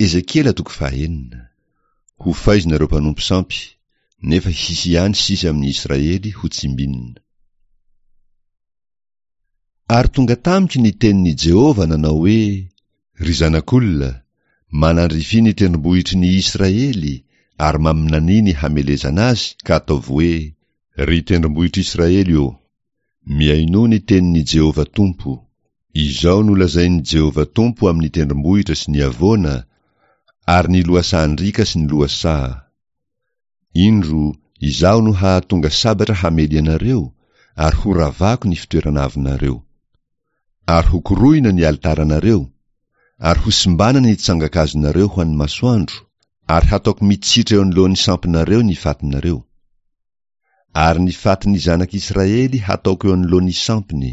Ezekiela toko fahenina. Ho faizina ireo mpanompo sampy, nefa hisy ihany sisa amin'ny Israely ho tsimbinina. Ary tonga tamiko ny tenin'i Jehovah nanao hoe, Ry zanak'olona, manandrifia ny tendrombohitry ny Israely ary maminania ny hamelezana azy ka ataovy hoe, Ry tendrombohitr'Israely ô, mihainoa ny tenin'i Jehovah Tompo, Izao no lazain'i Jehovah Tompo amin'ny tendrombohitra sy ny havoana ary ny lohasahan-driaka sy ny lohasaha, Indro, Izaho no hahatonga sabatra hamely anareo, ary horavako ny fitoerana avonareo. Ary hokorohina ny alitaranareo, ary hosimbana ny tsangan-kazonareo ho an'ny masoandro, ary hataoko mitsitra eo anoloan'ny sampinareo ny fatinareo. Ary ny fatin'ny zanak'Israely hataoko eo anoloan'ny sampiny,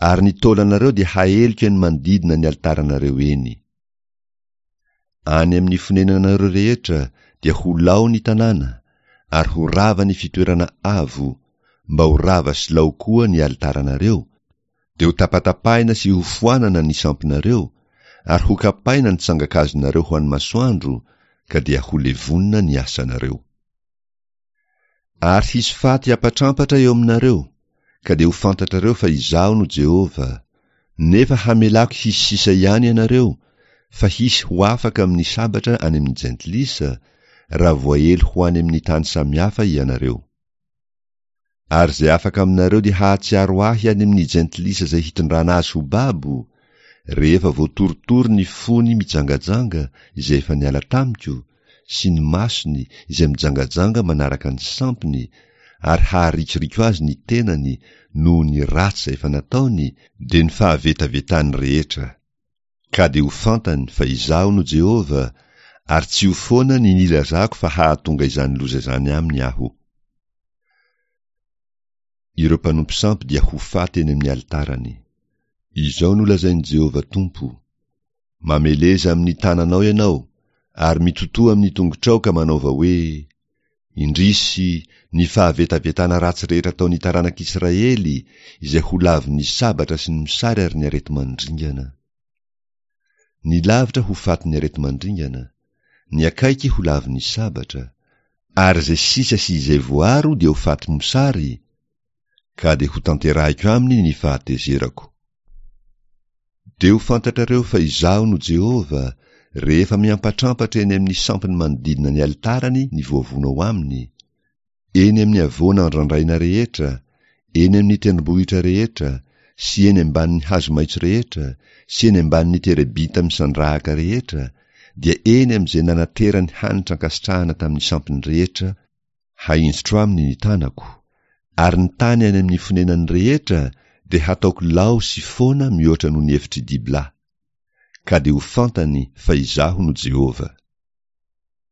ary ny taolanareo dia haeliko eny manodidina ny alitaranareo eny. Any amin'ny fonenanareo rehetra dia ho lao ny tanàna, ary ho rava ny fitoerana avo, mba ho rava sy lao koa ny alitaranareo, dia ho tapatapahina sy hofoanana ny sampinareo, ary hokapaina ny tsangan-kazonareo ho an'ny masoandro, ka dia ho levonina ny asanareo. Ary hisy faty hiampatrampatra eo aminareo, ka dia ho fantatrareo fa Izaho no Jehovah, nefa hamelako hisy sisa ihany ianareo, fa hisy ho afaka amin'ny sabatra any amin'ny jentilisa, raha voaely ho any amin'ny tany samihafa ianareo. Ary izay afaka aminareo dia hahatsiaro Ahy any amin'ny jentilisa izay hitondrana azy ho babo, rehefa voatorotoro ny fony mijangajanga izay efa niala tamiko, sy ny masony izay mijangajanga manaraka ny sampiny, ary haharikoriko azy ny tenany noho ny ratsy izay efa nataony, dia ny fahavetavetany rehetra. Ka dia ho fantany fa Izaho no Jehovah, ary tsy ho foana ny nilazako fa hahatonga izany loza izany aminy Aho. Ireo mpanompo sampy dia ho faty eny amin'ny alitarany. Izao no lazain'i Jehovah Tompo, Mameleza amin'ny tananao ianao, ary mitotoa amin'ny tongotrao ka manaova hoe, Indrisy, ny fahavetavetana ratsy rehetra ataon'ny taranak'Israely, izay ho lavin'ny sabatra sy ny mosary ary ny areti-mandringana. Ny lavitra ho fatin'ny areti-mandringana, ny akaiky ho lavin'ny sabatra, ary izay sisa sy izay voaro dia ho faty mosary, ka dia hotanterahiko aminy ny fahatezerako. Dia ho fantatrareo fa Izaho no Jehovah, rehefa miampatrampatra eny amin'ny sampiny manodidina ny alitarany ny voavono ao aminy, eny amin'ny havoana andrandraina rehetra, eny amin'ny tendrombohitra rehetra, sy eny ambanin'ny hazo maitso rehetra, sy eny ambanin'ny terebinta misandrahaka rehetra, dia eny amin'izay nanaterany hanitra ankasitrahana tamin'ny sampiny rehetra, Hahinjitro aminy ny tanako, ary ny tany any amin'ny fonenany rehetra dia hataoko lao sy foana mihoatra noho ny efitr'i Dibla. Ka dia ho fantany fa Izaho no Jehovah.